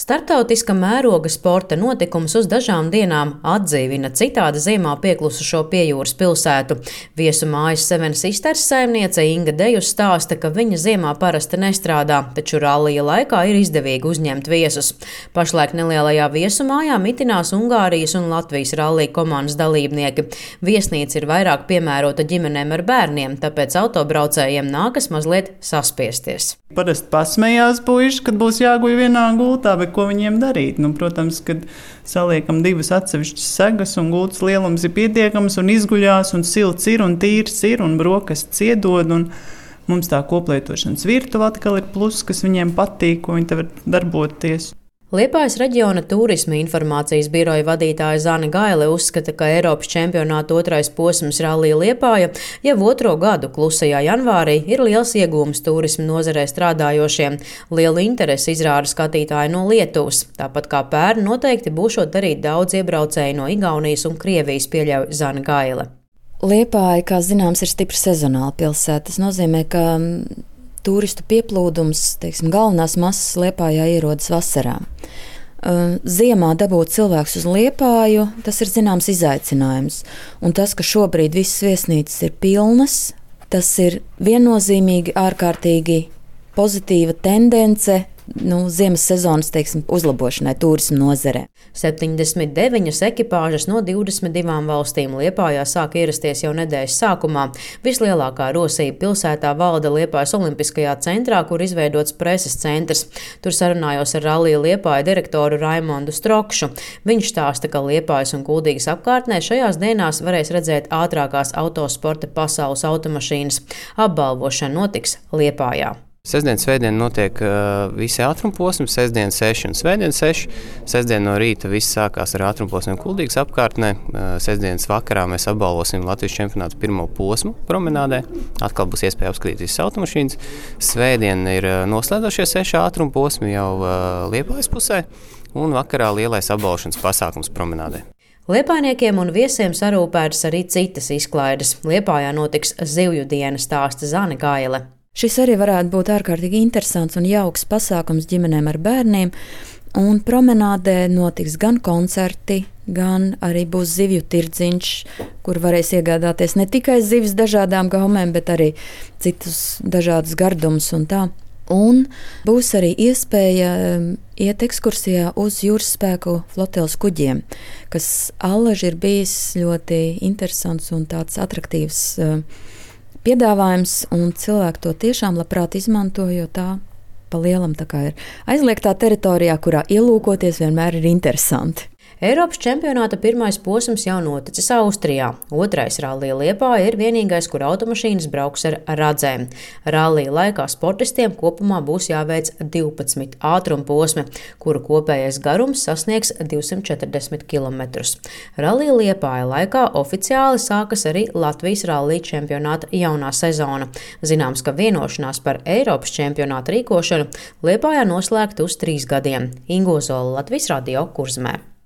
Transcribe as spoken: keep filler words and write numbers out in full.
Starptautiska mēroga sporta notikums uz dažām dienām atdzīvina citādi ziemā pieklusušo Piejūras pilsētu. Viesu mājas Seven Sisters saimniece Inga Dejus stāsta, ka viņa ziemā parasti nestrādā, taču rallija laikā ir izdevīgi uzņemt viesus. Pašlaik nelielajā viesu mājā mitinās Ungārijas un Latvijas rallija komandas dalībnieki. Viesnīca ir vairāk piemērota ģimenēm ar bērniem, tāpēc autobraucējiem nākas mazliet saspiesties. Parasti pasmējās puiši, kad būs jāguļ vienā gultā, bet ko viņiem darīt? Nu, protams, kad saliekam divas atsevišķas segas un gultas lielums ir pietiekams un izguļās un silts ir un tīrs ir un brokastis iedod un mums tā koplietošanas virtuve atkal ir plus, kas viņiem patīk, ko viņi te var darboties. Liepājas reģiona turisma informācijas biroja vadītāja Zane Gaile uzskata, ka Eiropas čempionāta otrais posms Rallija Liepāja jau otro gadu klusajā janvārī ir liels iegūms turisma nozarē strādājošiem. Lielu interesi izrāda skatītāji no Lietuvas. Tāpat kā pērn noteikti būšot arī daudz iebraucēju no Igaunijas un Krievijas, pieļauj Zane Gaile. Liepāja, kā zināms, ir stipri sezonāla pilsēta. Tas nozīmē, ka turistu pieplūdums, teiksim, galvenās masas Liepājā ierodas vasarā. Ziemā dabūt cilvēkus uz Liepāju, tas ir zināms izaicinājums. Un tas, ka šobrīd visas viesnīcas ir pilnas, tas ir viennozīmīgi ārkārtīgi pozitīva tendence nu, ziemas sezonas, teiksim, uzlabošanai turisma nozarē. septiņdesmit deviņas ekipāžas no divdesmit divām valstīm Liepājā sāk ierasties jau nedēļas sākumā. Vislielākā rosība pilsētā valda Liepājas Olimpiskajā centrā, kur izveidots preses centrs. Tur sarunājos ar Rallija Liepāja direktoru Raimondu Strokšu. Viņš stāsta, ka Liepājas un Kuldīgas apkārtnē šajās dienās varēs redzēt ātrākās autosporta pasaules automašīnas. Apbalvošana notiks Liepājā. Sestdien, svētdien notiek uh, visi ātrumposmi, sestdien seši un svētdien seši. Sestdien no rīta viss sākās ar ātrumposmiem Kuldīgas apkārtnē. Uh, sestdienas vakarā mēs apbalvosim Latvijas čempionātu pirmo posmu promenādē. Atkal būs iespēja apskatīt visas automašīnas. Svētdien ir uh, noslēdzošie seši ātrumposmi jau uh, Liepājas pusē un vakarā lielais apbalvošanas pasākums promenādē. Liepājniekiem un viesiem sarūpētas arī citas izklaides. Liepājā notiks zivju diena, stāsta Zane Gaile. Šis arī varētu būt ārkārtīgi interesants un jauks pasākums ģimenēm ar bērniem, un promenādē notiks gan koncerti, gan arī būs zivju tirdziņš, kur varēs iegādāties ne tikai zivis dažādām gaumēm, bet arī citus dažādus gardumus un tā. Un būs arī iespēja iet ekskursijā uz jūras spēku floteles kuģiem, kas allaži ir bijis ļoti interesants un tāds atraktīvs piedāvājums, un cilvēki to tiešām labprāt izmanto, jo tā pa lielam tā kā ir aizliegtā teritorijā, kurā ielūkoties vienmēr ir interesanti. Eiropas čempionāta pirmais posms jau noticis Austrijā. Otrais Rallija Liepāja ir vienīgais, kur automašīnas brauks ar radzēm. Rallija laikā sportistiem kopumā būs jāveic divpadsmit ātrumposmi, kuru kopējais garums sasniegs divsimt četrdesmit kilometrus. Rallija Liepāja laikā oficiāli sākas arī Latvijas rallija čempionāta jaunā sezona. Zināms, ka vienošanās par Eiropas čempionāta rīkošanu Liepājā noslēgta uz trīs gadiem. Ingo Zola, Latvijas radio, Kurzemē.